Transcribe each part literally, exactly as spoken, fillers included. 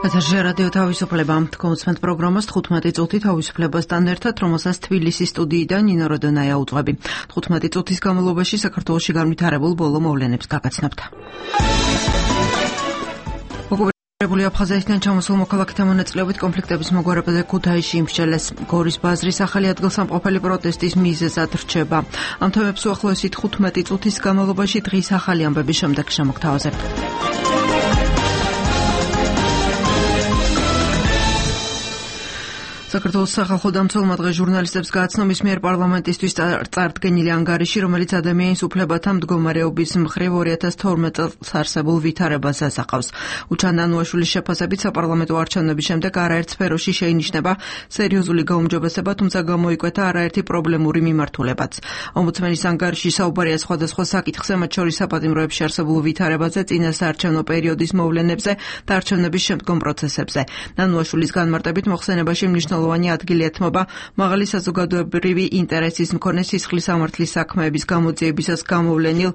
ეთერში რადიო თავისუფლება თქვენ პროგრამას თხუთმეტი წუთი თავისუფლებასთან ერთად, რომელსაც თბილისის სტუდიიდან ნინო როდონაია უძღვები. თხუთმეტი წუთის განმავლობაში საქართველოში განვითარებულ ბოლო მოვლენებს გაგაცნობთ. ოკუპირებული აფხაზეთიდან ჩამოსულ მოქალაქეთა მონაწილეობით კონფლიქტების მოგვარებაზე ქუთაისში იმსჯელეს. გორის ბაზრის ახალი ადგილსამყოფელი პროტესტის მიზეზად რჩება. ამ თემებს უახლოესი თხუთმეტი წუთის განმავლობაში დღის ახალი ამბების შემდეგ შემოგთავაზებთ. საქართველოს სახალხო დამცველმა დღეს ჟურნალისტებს გააცნო მის მიერ პარლამენტისთვის წარდგენილი ანგარიში, რომელიც ადამიანის უფლებათა მდგომარეობის მხრივ ორი ათას თორმეტ წელს არსებულ ვითარებას ასახავს. უჩან ნანუაშვილის შეფასებით საპარლამენტო არჩევნების შემდეგ არაერთ სფეროში შეინიშნება სერიოზული გაუმჯობესება, თუმცა გამოიკვეთა არაერთი პრობლემური მიმართულებაც. ომბუდსმენის ანგარიში საუბარია სხვადასხვა საკითხზე, მათ შორის საპატიმროებში არსებულ ვითარებაზე, წინასაარჩევნო პერიოდის მოვლენებზე და არჩევნების შემდგომ პროცესებზე. ნანუაშვილის განმარტებით მოხსენებაში მნიშვნელოვანი ადგილი ეთმობა მაღალი საზოგადოებრივი ინტერესის მქონე სისხლის სამართლის საქმეების გამოძიებისას გამოვლენილ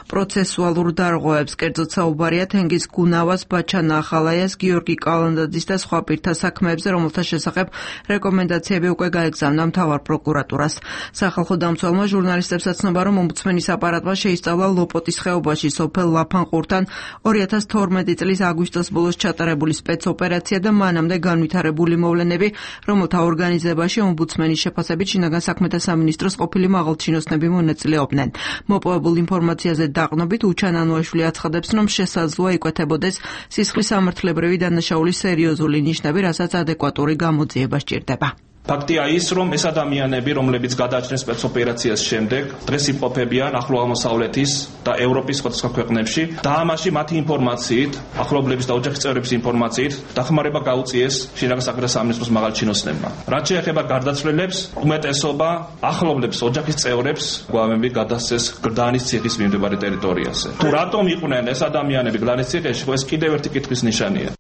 პროცესუალურ დარღვევებს. კერძოდ საუბარია თენგიზ გუნავას, ბაჩან ახალაიას, გიორგი კალანდაძის და სხვა პირთა საქმეებზე, რომელთა შესახებ რეკომენდაციები უკვე გაეგზავნა მთავარ პროკურატურას. სახალხო დამცველმა ჟურნალისტებს აცნობა, რომ ომბუდსმენის აპარატმა შეისწავლა ლოპოტის ხეობაში სოფელ ლაფანყურთან ორი ათას თორმეტი წლის აგვისტოს ბოლოს ჩატარებული სპეცოპერაცია და მანამდე განვითარებული მოვლენები, რომელთა ორგანიზებაში ომბუდსმენის შეფასებით შინაგან საქმეთა სამინისტროს ყოფილი მაღალჩინოსნები მონაწილეობდნენ. მოპოვებულ ინფორმაციაზე დაყნობით უჩან ნანუაშვილი აცხადებს, რომ შესაძლოა იკვეთებოდეს სისხლის სამართლებრივი დანაშაულის სერიოზული ნიშნები, რასაც ადეკვატური გამოძიება სჭირდება. ფაქტია ის, რომ ეს ადამიანები, რომლებიც გადააჭრნენ სპეცოპერაციას შემდეგ, დღეს იმყოფებიან ახლო აღმოსავლეთის და ევროპის სხვადასხვა ქვეყნებში და ამაში მათი ინფორმაციით, ახლობლების და ოჯახის წევრების ინფორმაციით დახმარება გაუწიეს შინაგან საქმეთა სამინისტროს მაღალჩინოსნებმა. რაც შეეხება გარდაცვლილებს, უმეტესობა ახლობლებს, ოჯახის წევრებს გვამები გადასცეს გლდანის ციხის მიმდებარე ტერიტორიაზე. თუ რატომ იყვნენ ეს ადამიანები გლდანის ციხეში, ეს კიდევ ერთი კითხვის ნიშანია.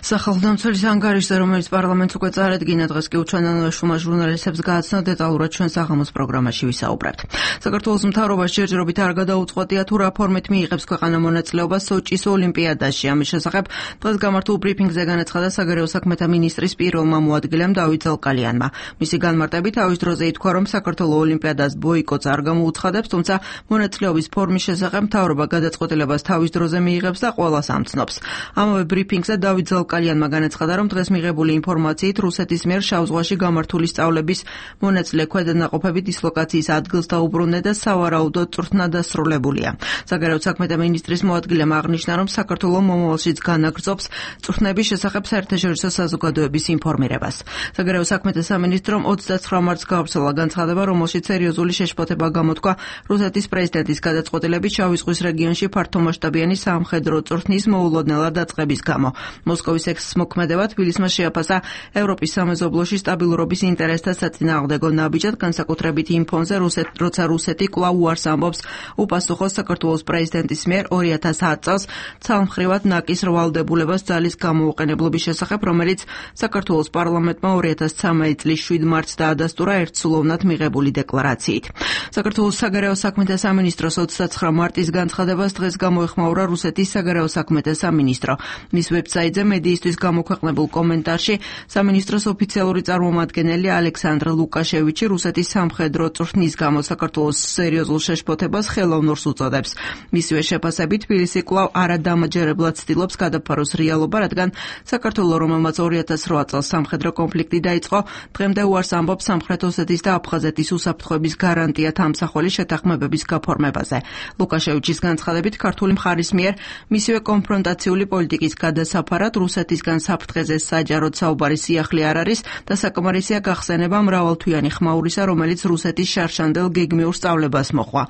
სახალხო დამცველის ანგარიშზე, რომელიც პარლამენტს უკვე წარადგინა, დღეს კი უჩვენ ნანუაშვილმა ჟურნალისტებს გააცნო, დეტალურად ჩვენ საღამოს პროგრამაში ვისაუბრებთ. საქართველოს მთავრობას ჯერჯერობით არ გადაუწყვეტია თუ რა ფორმით მიიღებს ქვეყანა მონაწილეობას სოჭის ოლიმპიადაში. ამის შესახებ დღეს გამართულ ბრიფინგზე განაცხადა საგარეო საქმეთა მინისტრის პირველმა მოადგილემ დავით ზალკალიანმა. მისი განმარტებით თავის დროზე ითქვა, რომ საქართველოს ოლიმპიადას ბოიკოტს არ გამოუცხადებს, თუმცა მონაწილეობის ფორმის შესახებ მთავრობა გადაწყვეტილებას თავის დროზე მიიღებს და ყველას ამცნობს. ამავე ბრიფინგზე დავით კალიანმა განაცხადა, რომ დღეს მიღებული ინფორმაციით რუსეთის მიერ შავ ზღვაში გამართული სწავლების მონაწილე ქვედანაყოფები დისლოკაციის ადგილს დაუბრუნდნენ და სავარაუდოდ წვრთნა დასრულებულია. საგარეო საქმეთა მინისტრის მოადგილემ აღნიშნა, რომ საქართველოს მომავალშიც განაგრძობს წვრთნების შესახებ საერთაშორისო საზოგადოების ინფორმირებას. საგარეო საქმეთა სამინისტრომ ოცდაცხრა მარტს გავრცელა განცხადება, რომელშიც სერიოზული შეშფოთება გამოთქვა რუსეთის პრეზიდენტის გადაწყვეტილებით შავი ზღვის რეგიონში ფართომასშტაბიანი სამხედრო წვრთნის მოულოდნელად დაწყების გამო. მოსკოვის ექსმოქმედება თბილისმა შეაფასა ევროპის სამეზობლოში სტაბილურობის ინტერესთა საწინააღმდეგო ნაბიჯად, განსაკუთრებით იმ ფონზე, როცა რუსეთი კვლავ უარს ამბობს უპასუხოს საქართველოს პრეზიდენტის მიერ ორი ათას ათ წელს ცალმხრივად ნაკის რვალდებულებას ძალის გამოუყენებლობის შესახებ, რომელიც საქართველოს პარლამენტმა ორი ათას ცხრამეტი წლის შვიდ მარტს დაადასტურა ერთსულოვნად მიღებული დეკლარაციით. საქართველოს საგარეო საქმეთა სამინისტროს ოცდაცხრა მარტის განცხადებას დღეს გამოეხმაურა რუსეთის საგარეო საქმეთა სამინისტრო. მის ვებსაიტზე მედიისთვის გამოქვეყნებულ კომენტარში სამინისტროს ოფიციალური წარმომადგენელი ალექსანდრ ლუკაშევიჩი რუსეთის სამხედრო წვრთნის გამო საქართველოს სერიოზულ შეშფოთებას ხელოვნურს უწოდებს. მისივე შეფასებით თბილისი კვლავ არადამაჯერებლად ცდილობს გადაფაროს რეალობა, რადგან საქართველოს, რომელმაც ორი ათას რვა წელს სამხედრო კონფლიქტი დაიწყო, დღემდე უარს ამბობს სამხრეთ ოსეთის და აფხაზეთის უსაფრთხოების გარანტია თამსახველი შეთანხმებების გაფორმებაზე. ლუკაშევიჩის განცხადებით ქართული მხარის მიერ მისივე კონფრონტაციული პოლიტიკის გადასაფარად რუსეთისგან საფრთხეზე საჯაროდ საუბარი სიახლე არ არის და საკმარისია გახსენება მრავალთვიანი ხმაურისა, რომელიც რუსეთის შარშანდელ გეგმიურ სწავლებას მოჰყვა.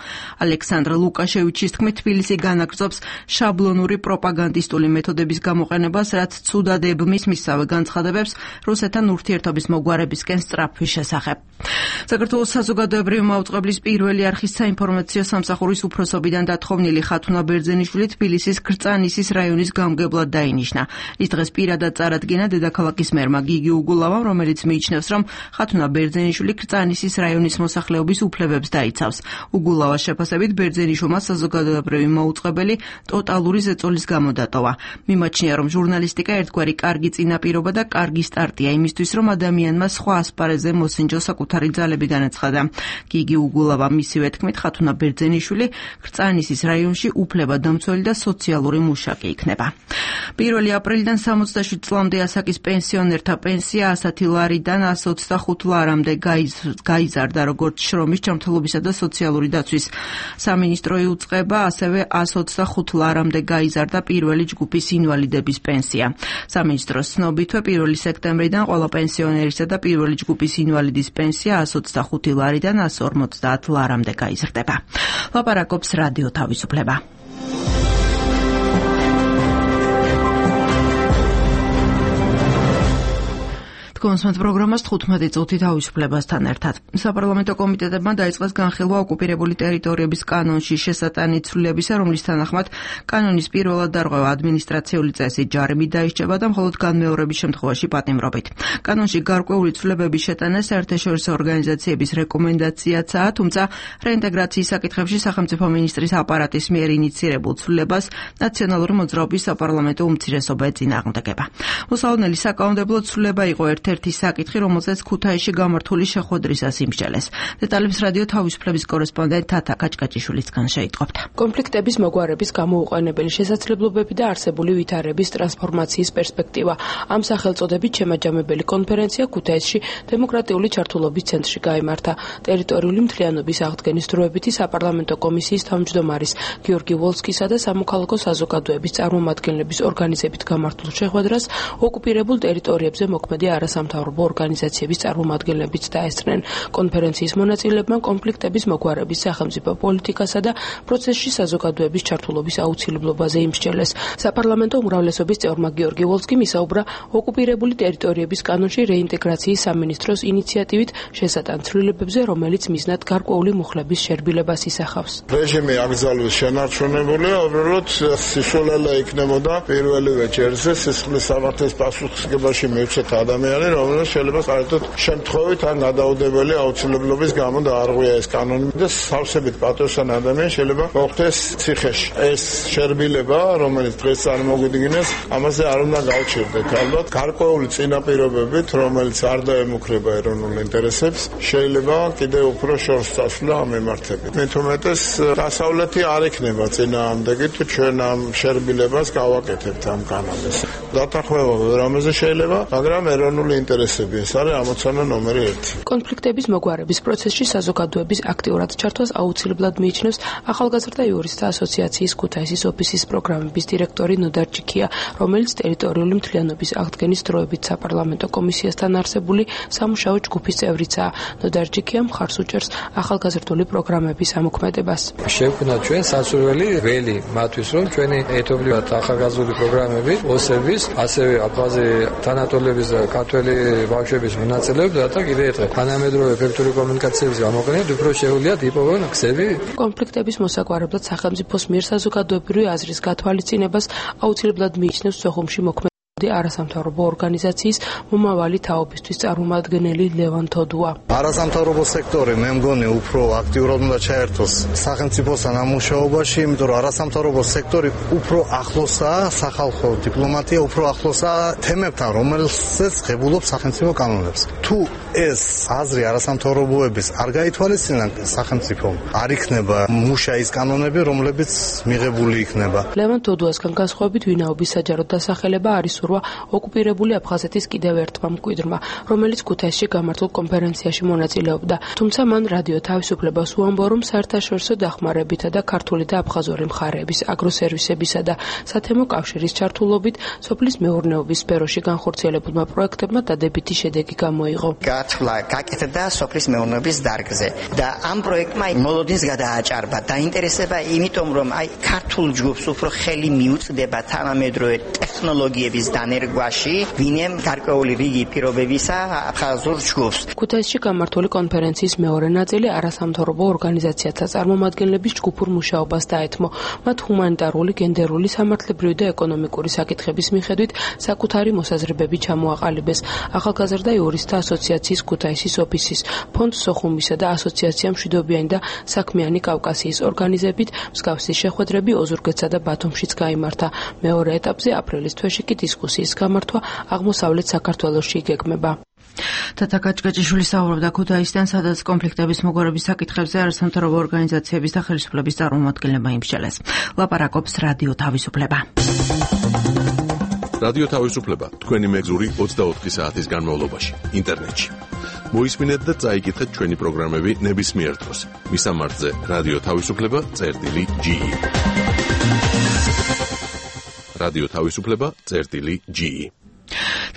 ალექსანდრ ლუკაშევიჩის თქმით, თბილისი განაგრძობს შაბლონური პროპაგანდისტული მეთოდების გამოყენებას, რაც ცუდად ებმის მისსავე განცხადებებს რუსეთთან ურთიერთობის მოგვარებისკენ სწრაფვის შესახებ. საქართველოს საზოგადოებრივი მაუწყებლის პირველი არხის საინფორმაციო სამსახურის უფროსობიდან დათხოვნილი ხათუნა ბერძენიშვილი თბილისის ქრწანისის რაიონის გამგებლად დაინიშნა. ის დღეს პირადად წარადგინა დედაქალაქის მერმა გიგი უგულავამ, რომელიც მიიჩნევს, რომ ხათუნა ბერძენიშვილი ქრწანისის რაიონის მოსახლეობის უფლებებს დაიცავს. უგულავას შეფასებით ბერძენიშვილმა საზოგადოებრივი მოუწყებელი ტოტალური ზეწოლის გამო დატოვა. მიმაჩნია, რომ ჟურნალისტიკა ერთგვარი კარგი წინაპირობა და კარგი სტარტია იმისთვის, რომ ადამიანმა სხვა ასპარეზზე მოსინჯოს საკუთარი ძალები განაცხადა. გიგი უგულავა მისივე თქმით, ხათუნა ბერძენიშვილი ქრწანისის რაიონში უფლებადამცველი და სოციალური მუშაკი იქნება. პირველი აპრილიდან სამოცდაშვიდ წლამდე ასაკის პენსიონერთა პენსია ასი ლარიდან ასი ოცდახუთ ლარამდე გაიზარდა, როგორც შრომის, ჯანმრთელობისა და სოციალური დაცვის სამინისტრო იუწყება, ასევე ასი ოცდახუთ ლარამდე გაიზარდა პირველი ჯგუფის ინვალიდების პენსია. სამინისტროს ცნობითვე პირველი სექტემბრიდან ყველა პენსიონერისა და პირველი ჯგუფის ინვალიდის პენსია ასი ოცდახუთი ლარიდან ასი ორმოცდაათ ლარამდე გაიზრდება. ლაპარაკობს რადიო თავისუფლება. კონსმეთ პროგრამას თხუთმეტი წუთი თავისუფლებასთან ერთად. საპარლამენტო კომიტეტებმა დაიწყეს განხილვა ოკუპირებული ტერიტორიების კანონში შესატანი ცვლილებისა, რომლის თანახმად კანონის პირველად დარღვევა ადმინისტრაციული წესით ჯარიმით დაისჭება და მხოლოდ განმეორების შემთხვევაში პატიმრობით. კანონში გარკვეული ცვლილებების შეტანა საერთაშორისო ორგანიზაციების რეკომენდაციაცაა, თუმცა რეინტეგრაციის საკითხებში სახელმწიფო მინისტრის აპარატის მიერ ინიცირებულ ცვლილებას ნაციონალური მოძრაობის საპარლამენტო უმცირესობა ეწინააღმდეგება. მოსალოდნელი საკანონმდებლო ცვლილება იყო ერთ ერთი საკითხი, რომელზეც ქუთაისში გამართული შეხვედრისას იმსჯელეს. დეტალებს რადიო თავისუფლების კორესპონდენტ თათა კაჭკაჭიშვილისგან შეიტყობთ. კონფლიქტების მოგვარების გამოუყენებელი შესაძლებლობები და არსებული ვითარების ტრანსფორმაციის პერსპექტივა. ამ სახელწოდებით შემაჯამებელი კონფერენცია ქუთაისში დემოკრატიული ჩართულობის ცენტრში გაიმართა. ტერიტორიული მთლიანობის აღდგენის დროებითი საპარლამენტო კომისიის თავმჯდომარის გიორგი ვოლსკისა და სამოქალაქო საზოგადოების წარმომადგენლების ორგანიზებით გამართულ შეხვედრას ოკუპირებულ ტერიტორიებზე მოქმედი არასამთავრობო ორგანიზაციების წარმომადგენლებიც დაესწრნენ. კონფერენციის მონაწილეებმა კონფლიქტების მოგვარების სახელმწიფო პოლიტიკასა და პროცესში საზოგადოების ჩართულობის აუცილებლობაზე იმსჯელეს. საპარლამენტო უმრავლესობის წევრმა გიორგი ვოლსკიმ ისაუბრა ოკუპირებული ტერიტორიების კანონში რეინტეგრაციის სამინისტროს ინიციატივით შესატან ცვლილებებზე, რომელიც მიზნად გარკვეული მუხლების შერბილებას ისახავს. რეჟიმი აკრძალვის შენარჩუნებულია, უბრალოდ საშუალება იქნებოდა პირველივე ჯერზე სისხლის სამართლის პასუხისმგებაში მივცეთ ადამიანი, რომელიც შეიძლება საერთოდ შემთხვევით ან გადაუდებელი აუცილებლობის გამო დაარღვია ეს კანონი და სავსებით პატივსან ადამიანი შეიძლება მოხდეს ციხეში. ეს შერბილება, რომელიც დღეს წარმოგვიდგინეს, ამაზე არ უნდა გავჩერდეთ. ალბათ გარკვეული წინაპირობებით, რომელიც არ დაემუქრება ეროვნულ ინტერესებს, შეიძლება კიდევ უფრო შორს წასვლა ამ მიმართებით. მით უმეტეს დასავლეთი არ იქნება წინააღმდეგი, თუ ჩვენ ამ შერბილებას გავაკეთებთ ამ კანონს. დათანხმება რამეზე შეიძლება, მაგრამ ეროვნული ინტერესები ეს არის ამოცანა ნომერი ერთი. კონფლიქტების მოგვარების პროცესში საზოგადოების აქტიურად ჩართვას აუცილებლად მიიჩნევს ახალგაზრდა იურისტთა ასოციაციის ქუთაისის ოფისის პროგრამების დირექტორი ნოდარ ჯიქია, რომელიც ტერიტორიული მთლიანობის აღდგენის დროებით საპარლამენტო კომისიასთან არსებული სამუშაო ჯგუფის წევრიცაა. ნოდარ ჯიქია მხარს უჭერს ახალგაზრდული პროგრამების ამოქმედებას. შევქმნა ჩვენ სასურველი ველი მათთვის, რომ ჩვენი ეთობრივად ახალგაზრდული პროგრამები ოსების, ასევე აფხაზი თანატოლების და ქართველი ბავშვების მონაწილეობა და კიდევ ერთხელ თანამედროვე ეფექტური კომუნიკაციების გამოყენებით უფრო შეუძლიათ იპოვონ გზები. კონფლიქტების მოსაგვარებლად სახელმწიფოს მიერ საზოგადოებრივი აზრის გათვალისწინებას აუცილებლად მიიჩნევს სოხუმში მოქმედი არასამთავრობო ორგანიზაციის მომავალი თაობისთვის წარმომადგენელი ლევან თოდუა. არასამთავრობო სექტორი მე მგონი უფრო აქტიურად უნდა ჩაერთოს სახელმწიფოსთან ამ მუშაობაში, იმიტომ რომ არასამთავრობო სექტორი უფრო ახლოსაა სახალხო დიპლომატია, უფრო ახლოსაა თემებთან, რომელსაც ღებულობს სახელმწიფო კანონებს. თუ ეს აზრი არასამთავრობოების არ გაითვალისწინა სახელმწიფომ, არ იქნება მუშაის კანონები, რომლებიც მიღებული იქნება. ლევან თოდუასგან განსხვავებით ვინაობის საჯარო დასახელება არის ოკუპირებული აფხაზეთის კიდევ ერთმა მკვიდრმა, რომელიც ქუთაისში გამართულ კონფერენციაში მონაწილეობდა. თუმცა მან რადიო თავისუფლებას უამბო, რომ საერთაშორისო დახმარებითა და ქართული და აფხაზური მხარეების აგროსერვისებისა და სათემო კავშირის ჩართულობით სოფლის მეურნეობის სფეროში განხორციელებულმა პროექტებმა დადებითი შედეგი გამოიღო. გათვლა გაკეთდა სოფლის მეურნეობის დარგზე და ამ პროექტმა მოლოდინს გადააჭარბა. დაინტერესება იმიტომ, რომ აი ქართულ ჯგუფს უფრო ხელი მიუწვდება თანამედროვე ტექნოლოგიების დანერგვაში ვინემ გარკვეული რიგი პირობებისა აფხაზურ ჯგუფს. ქუთაისში გამართული კონფერენციის მეორე ნაწილი არასამთავრობო ორგანიზაციათა წარმომადგენლების ჯგუფურ მუშაობას დაეთმო. მათ ჰუმანიტარული, გენდერული, სამართლებრივი და ეკონომიკური საკითხების მიხედვით საკუთარი მოსაზრებები ჩამოაყალიბეს. ახალგაზრდა იურისტთა ასოციაციის ქუთაისის ოფისის, ფონდ სოხუმისა და ასოციაცია მშვიდობიანი და საქმიანი კავკასიის ორგანიზებით მსგავსი შეხვედრები ოზურგეთსა და ბათუმშიც გაიმართა. მეორე ეტაპზე აპრილის თვეში კი დისკუსიის გამართვა აღმოსავლეთ საქართველოში იგეგმება. თათა კაჭკაჭიშვილი საუბრობდა ქუთაისთან, სადაც კონფლიქტების მოგვარების საკითხებზე არასამთავრობო ორგანიზაციების და ხელისუფლების წარმომადგენლებმა იმსჯელეს. ლაპარაკობს რადიო თავისუფლება. რადიო თავისუფლება თქვენი მეგზური ოცდაოთხი საათის განმავლობაში ინტერნეტში. მოისმინეთ და წაიკითხეთ ჩვენი პროგრამები ნებისმიერ დროს. მისამართზე რადიო თავისუფლება წერტილი ჯი. რადიო თავისუფლება წერტილი ჯი.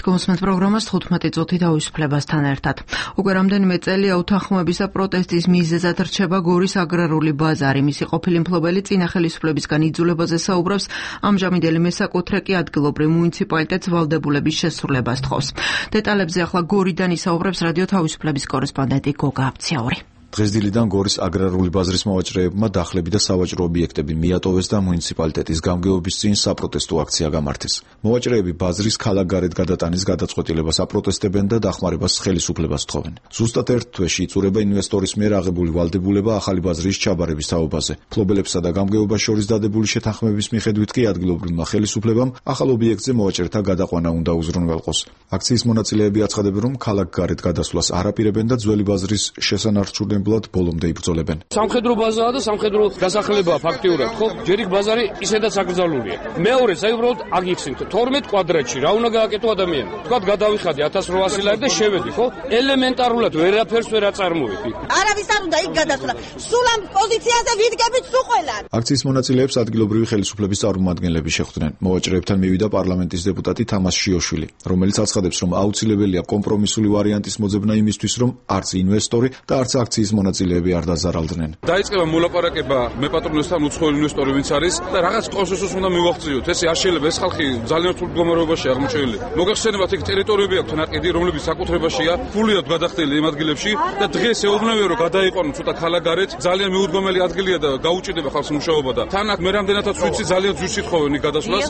გულისხმობთ პროგრამას თხუთმეტი წუთი თავისუფლებასთან ერთად. უკვე რამდენიმე წელია უთანხმოების და პროტესტის მიზეზად რჩება გორის აგრარული ბაზარი. მისი ყოფილი მფლობელი წინა ხელისუფლებისგან იძულებაზე საუბრობს, ამჟამინდელი მესაკუთრე კი ადგილობრივ მუნიციპალიტეტს ვალდებულების შესრულებას თხოვს. დეტალებზე ახლა გორიდან ისაუბრებს რადიო თავისუფლების კორესპონდენტი გოგა აბციაური. დღესდილიდან გორის აგრარული ბაზრის მოვაჭრეებმა დახლები და სავაჭრო ობიექტები მიატოვეს და მუნიციპალიტეტის გამგეობის წინ საპროტესტო აქცია გამართეს. მოვაჭრეები ბაზრის ქალაქგარეთ გადატანის გადაწყვეტილებას აპროტესტებენ და დახმარებას ხელისუფლებას თხოვენ. ზუსტად ერთ თვეში იწურება ინვესტორის მიერ აღებული ვალდებულება ახალი ბაზრის ჩაბარების თაობაზე. მფლობელებსა და გამგეობას შორის დადებული შეთანხმების მიხედვით კი ადგილობრივმა ხელისუფლებამ ახალ ობიექტზე მოვაჭრეთა გადაყვანა უნდა უზრუნველყოს. აქციის მონაწილეები აცხადებენ, რომ ქალაქგარეთ გადასვლას არაპირებენ და ძველი ბაზრის შესანარჩუნებლად ბოლომდე იბრძოლებენ. სამხედრო ბაზაა და სამხედრო დასახლებაა ფაქტიურად, ხო? ჯერ იქ ბაზარი ისედაც აკრძალულია. მეორე, საერთოდ უბრალოდ აგიხსნით თორმეტ კვადრატში რა უნდა გააკეთო ადამიანი. თქვათ გადავიხადე ათას რვაასი ლარი და შევედი, ხო? ელემენტარულად ვერაფერს ვერ აწარმოები. არავის არ უნდა იქ გადასვლა. სულ ამ პოზიციაზე ვიდგებით სულ ყველა. აქციის მონაწილეებს ადგილობრივი ხელისუფლების წარმომადგენლები შეხვდნენ. მოვაჭრეებთან მივიდა პარლამენტის დეპუტატი თამას შიოშვილი, რომელიც აცხადებს, რომ აუცილებელია კომპრომისული ვარიანტის მოძებნა იმისთვის, რომ არც ინვესტორი და არც აქციის მონაწილეები არ დაზარალდნენ. დაიწყება მოლაპარაკება მეპატრონესთან უცხოელი ინვესტორი ვინც არის და რაღაც კონსენსუსს უნდა მივაღწიოთ. ესე არ შეიძლება, ეს ხალხი ძალიან რთულ მდგომარეობაში აღმოჩენილი. მოგეხსენებათ იქ ტერიტორიები აქვს თანაყიდი, რომლებიც საკუთრებაშია, ფულიად გადახდილი იმ ადგილებში და დღეს ეუბნებიან რომ გადაიყვანონ ცოტა ქალაქგარეთ, ძალიან მიუდგომელი ადგილია და გაუჭირდება ხალხს მუშაობა და თან აქ მე რამდენადაც ვიცი ძალიან ძვირს ითხოვენ გადასვლას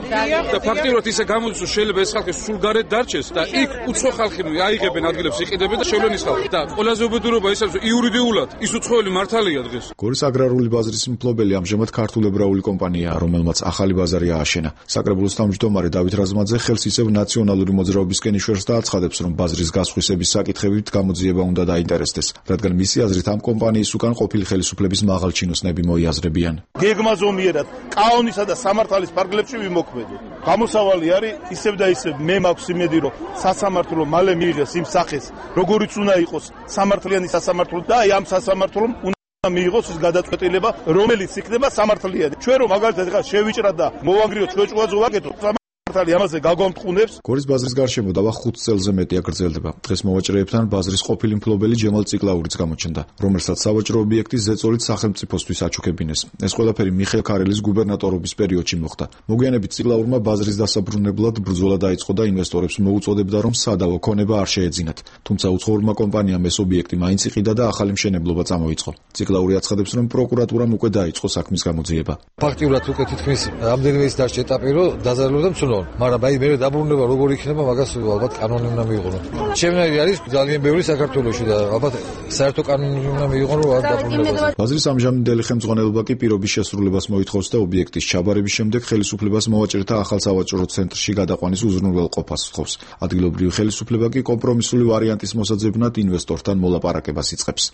და ფაქტიურად ისე გამოდის რომ შეიძლება ეს ხალხი სულ გარეთ დარჩეს და იქ უცხო ხალხი აიღებენ ადგილებს იყიდებენ და შევლენ ის ხალხი და ყველაზე უბედურობა ის არის იურიდიულად ის უცხოელი მართალია დღეს. გორის აგრარული ბაზრის მფლობელი ამჟამად ქართულ ებრაული კომპანიაა, რომელმაც ახალი ბაზარი ააშენა. საკრებულოს თავმჯდომარე დავით რაზმაძე ხელს იცევ ნაციონალური მოძრაობისკენ იშვერს და აცხადებს, რომ ბაზრის გასხვისების საკითხებით გამოძიება უნდა დაინტერესდეს, რადგან მისი აზრით ამ კომპანიის უკან ყოფილი ხელისუფლების მაღალჩინოსნები მოიაზრებიან. გეგმა ზომიერად კაონისა და სამართალის ფარგლებში ვიმოქმედო. გამოსავალი არის ისევ და ისევ მე მაქვს იმედი, რომ სასამართლო მალე მიიღეს იმ სახეს, როგორიც უნდა იყოს სამართლიანი სასამართლო და აი ამ სასამართლომ უნდა მიიღოს ის გადაწყვეტილება, რომელიც იქნება სამართლიანი. ჩვენ რომ მაგალითად ახლა შევიჭრათ და მოვანგრიოთ ჩვეჭვაზე ვაკეთოთ ამაზე გაგომტყუნებს. გორის ბაზრის გარშემო დავა ხუთ წელზე მეტია გრძელდება. დღეს მოვაჭრეებთან ბაზრის ყოფილი მფლობელი ჯემალ ციკლაურიც გამოჩნდა, რომელსაც სავაჭრო ობიექტის ზეწოლით სახელმწიფოსთვის აჩუქებინეს. ეს ყველაფერი მიხეილ ქარელის გუბერნატორობის პერიოდში მოხდა. მოგვიანებით ციკლაურმა ბაზრის დასაბრუნებლად ბრძოლა დაიწყო და ინვესტორებს მოუწოდებდა, რომ სადავო ქონება არ შეეძინათ. თუმცა უცხოურმა კომპანიამ ეს ობიექტი მაინც იყიდა და ახალი მშენებლობა წამოიწყო. ციკლაური აცხადებს, რომ პროკურატურამ უკვე დაიწყო საქმის გამოძიება. ფაქტიურად უკვე თითქმის რამდენიმე ის დასჭე ეტაპი, რომ დაზარალდა მცნო. მაგრამ აი მე დაბრუნება როგორ იქნება მაგას ალბათ კანონი უნდა მიიღონ. ჩემნაირი არის ძალიან ბევრი საქართველოში და ალბათ საერთო კანონი უნდა მიიღონ რომ არ დაბრუნება. ბაზრის ამჟამინდელი ხელმძღვანელობა კი პირობის შესრულებას მოითხოვს და ობიექტის ჩაბარების შემდეგ ხელისუფლებას მოვაჭრეთა ახალ სავაჭრო ცენტრში გადაყვანის უზრუნველყოფას სთხოვს. ადგილობრივი ხელისუფლება კი კომპრომისული ვარიანტის მოსაძებნად ინვესტორთან მოლაპარაკებას იწყებს.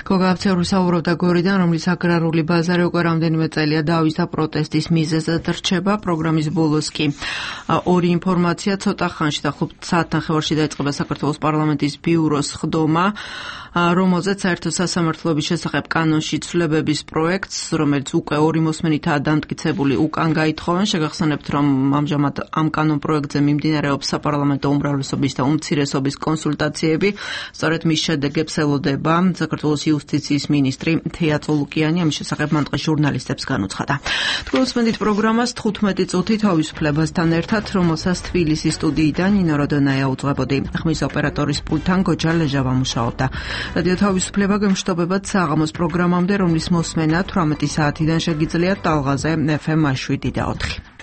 გოგა აბციაური საუბრობდა გორიდან, რომლის აგრარული ბაზარი უკვე რამდენიმე წელია დავის და პროტესტის მიზეზად რჩება. პროგრამის ბოლოს კი ორი ინფორმაცია ცოტა ხანში და ხუთ საათნახევარში დაიწყება საქართველოს პარლამენტის ბიუროს ხდომა, რომელზეც საერთო სასამართლოების შესახებ კანონში ცვლილებების პროექტს, რომელიც უკვე ორი მოსმენითაა დამტკიცებული, უკან გაითხოვენ. შეგახსენებთ, რომ ამჟამად ამ კანონ პროექტზე მიმდინარეობს საპარლამენტო უმრავლესობის და უმცირესობის კონსულტაციები. სწორედ მის შედეგებს ელოდება საქართველოს იუსტიციის მინისტრი თეა წოლუკიანი ამის შესახებ მან დღეს ჟურნალისტებს განუცხადა. თქვენსმენით პროგრამას თხუთმეტი წუთი თავისუფლებასთან ერთად, რომელსაც თბილისის სტუდიიდან ნინო როდონაია უძღვებოდი. ხმის ოპერატორის პულტთან გოჯა ლეჟავა მუშაობდა. რადიო თავისუფლება გემშვიდობებად საღამოს პროგრამამდე, რომლის მოსმენა თვრამეტი საათიდან შეგიძლიათ ტალღაზე ეფ ემ შვიდი და ოთხი.